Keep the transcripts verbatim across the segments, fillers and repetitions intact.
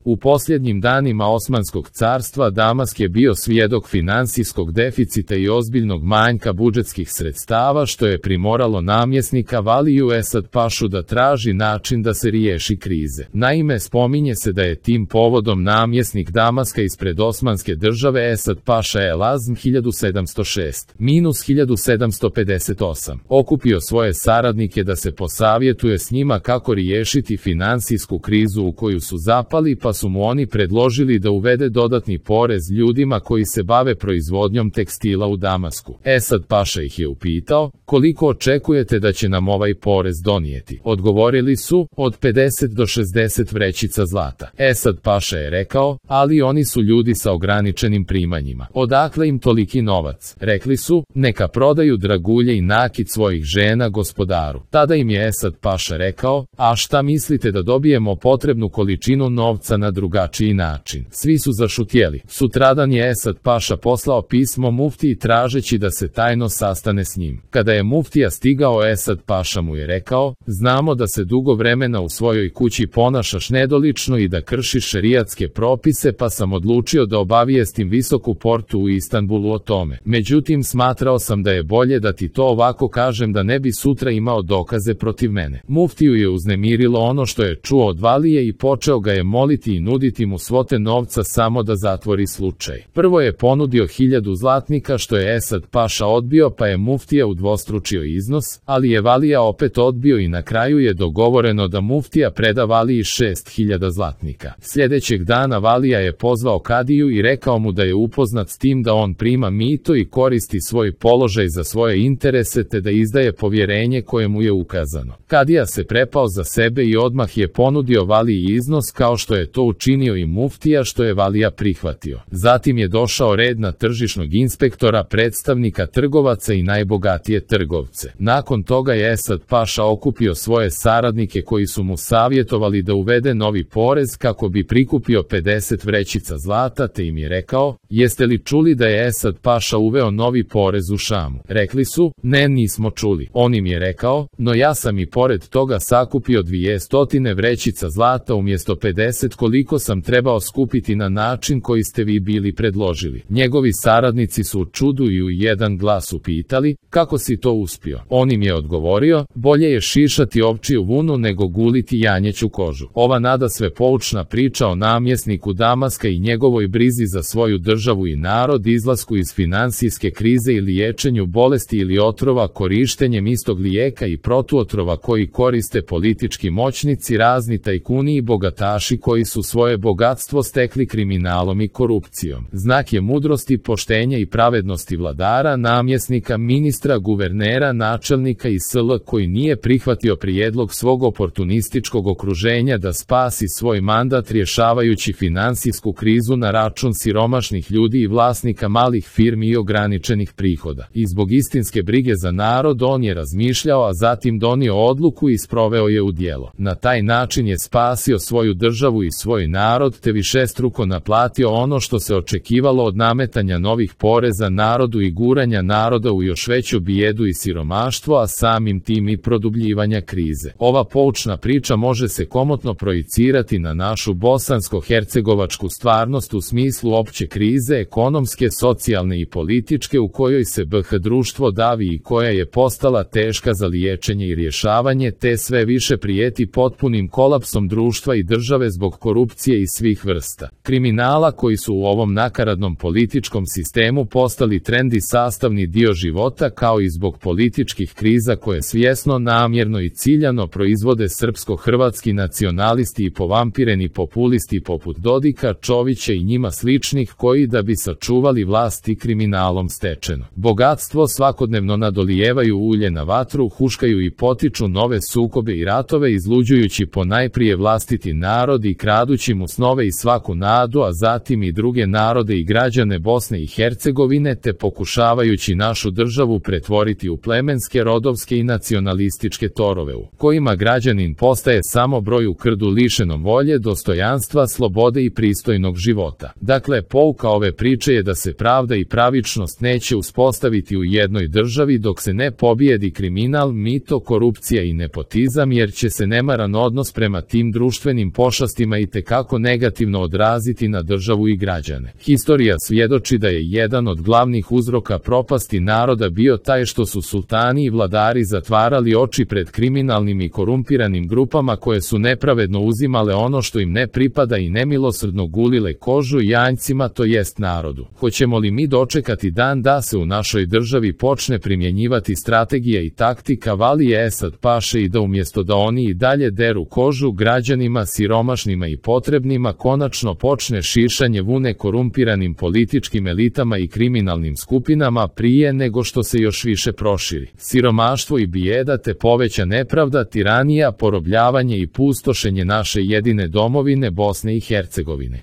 U posljednjim danima Osmanskog carstva Damask je bio svjedok finansijskog deficita i ozbiljnog manjka budžetskih sredstava, što je primoralo namjesnika Valiju Esad Pašu da traži način da se riješi krize. Naime, spominje se da je tim povodom namjesnik Damaska ispred Osmanske države Esad Paša El Azm hiljadu sedamsto šest – hiljadu sedamsto pedeset osam okupio svoje saradnike da se posavjetuje s njima kako riješiti finansijsku krizu u koju su zapali, pa su mu oni predložili da uvede dodatni porez ljudima koji se bave proizvodnjom tekstila u Damasku. Esad Paša ih je upitao: koliko očekujete da će nam ovaj porez donijeti? Odgovorili su: od pedeset do šezdeset vrećica zlata. Esad Paša je rekao: ali oni su ljudi sa ograničenim primanjima. Odakle im toliki novac? Rekli su: neka prodaju dragulje i nakit svojih žena gospodaru. Tada im je Esad Paša rekao: a šta mislite da dobijemo potrebnu količinu novca na drugačiji način? Svi su zašutjeli. Sutradan je Esad Paša poslao pismo muftiji tražeći da se tajno sastane s njim. Kada je muftija stigao, Esad Paša mu je rekao: znamo da se dugo vremena u svojoj kući ponašaš nedolično i da kršiš šerijatske propise, pa sam odlučio da obavijestim visoku portu u Istanbulu o tome. Međutim, smatrao sam da je bolje da ti to ovako kažem da ne bi sutra imao dokaze protiv mene. Muftiju je uznemirilo ono što je čuo od Valije i počeo ga je moliti i nuditi mu svote novca samo da zatvori slučaj. Prvo je ponudio hiljadu zlatnika, što je Esad Paša odbio, pa je muftija udvostručio iznos, ali je Valija opet odbio i na kraju je dogovoreno da muftija preda Valiji šest hiljada zlatnika. Sljedećeg dana Valija je pozvao kadiju i rekao mu da je upoznat s tim da on prima mito i koristi svoj položaj za svoje interese te da izdaje povjerenje koje mu je ukazano. Kadija se prepao za sebe i odmah je ponudio Valiji iznos kao što je to učinio i muftija, što je Valija prihvatio. Zatim je došao red na tržišnog inspektora, predstavnika trgovaca i najbogatije trgovce. Nakon toga je Esad Paša okupio svoje saradnike koji su mu savjetovali da uvede novi porez kako bi prikupio pedeset vrećica zlata, te im je rekao: jeste li čuli da je Esad Paša uveo novi porez u Šamu? Rekli su: ne, nismo čuli. On im je rekao: no ja sam i pored toga sakupio dvije stotine vrećica zlata umjesto pedeset koliko sam trebao skupiti na način koji ste vi bili predložili. Njegovi saradnici su u čudu i u jedan glas upitali: kako si to uspio? On im je odgovorio: bolje je šišati ovčiju vunu nego guliti janjeću kožu. Ova nadasve poučna priča o namjesniku Damaska i njegovoj brizi za svoju državu i narod, izlasku iz finansijske krize i liječenju bolesti ili otrova korištenjem istog lijeka i protuotrova koji koriste politički moćnici, razni tajkuni i bogataši koji su svoje bogatstvo stekli kriminalom i korupcijom. Znak je mudrosti, poštenja i pravednosti vladara, namjesnika, ministra, guvernera, načelnika i sl. Koji nije prihvatio prijedlog svog oportunističkog okruženja da spasi svoj mandat rješavajući finansijsku krizu na račun siromašnih ljudi i vlasnika malih firmi i ograničenih prihoda. I zbog istinske brige za narod on je razmišljao, a zatim donio odluku i sproveo je u djelo. Na taj način je spasio svoju državu i svoj narod, te višestruko naplatio ono što se očekivalo od nametanja novih poreza narodu i guranja naroda u još veću bijedu i siromaštvo, a samim tim i produbljivanja krize. Ova poučna priča može se komotno projicirati na našu bosansko-hercegovačku stvarnost u smislu opće krize, ekonomske, socijalne i političke u kojoj se B H društvo davi i koja je postala teška za liječenje i rješavanje, te sve više prijeti potpunim kolapsom društva i države zbog korupcije i svih vrsta kriminala koji su u ovom nakaradnom političkom sistemu postali trend i sastavni dio života, kao i zbog političkih kriza koje svjesno, namjerno i ciljano proizvode srpsko-hrvatski nacionalisti i povampireni populisti poput Dodika, Čovića i njima sličnih koji, da bi sačuvali vlast i kriminalom stečeno bogatstvo, svakodnevno nadolijevaju ulje na vatru, huškaju i potiču nove sukobe i ratove, izluđujući ponajprije vlastiti narod i kradući mu snove i svaku nadu, a zatim i druge narode i građane Bosne i Hercegovine, te pokušavajući našu državu pretvoriti u plemenske, rodovske i nacionalističke torove u kojima građanin postaje samo broj u krdu lišenom volje, dostojanstva, slobode i pristojnog života. Dakle, pouka ove priče je da se pravda i pravičnost neće uspostaviti u jednoj državi dok se ne pobijedi kriminal, mito, korupcija i nepotizam, jer će se nemaran odnos prema tim društvenim pošastima i itekako negativno odraziti na državu i građane. Historija svjedoči da je jedan od glavnih uzroka propasti naroda bio taj što su sultani i vladari zatvarali oči pred kriminalnim i korumpiranim grupama koje su nepravedno uzimale ono što im ne pripada i nemilosrdno gulile kožu janjcima, to jest narodu. Hoćemo li mi dočekati dan da se u našoj državi počne primjenjivati strategija i taktika Valije Esad Paše i da umjesto da oni i dalje deru kožu građanima siromašnima i potrebnima konačno počne šišanje vune korumpiranim političkim elitama i kriminalnim skupinama prije nego što se još više proširi. Siromaštvo i bijeda te poveća nepravda, tiranija, porobljavanje i pustošenje naše jedine domovine Bosne i Hercegovine.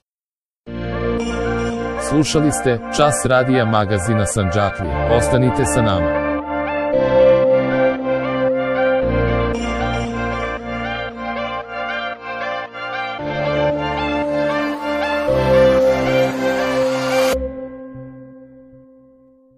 Slušali ste Čas radija magazina Sandžaklija. Ostanite sa nama.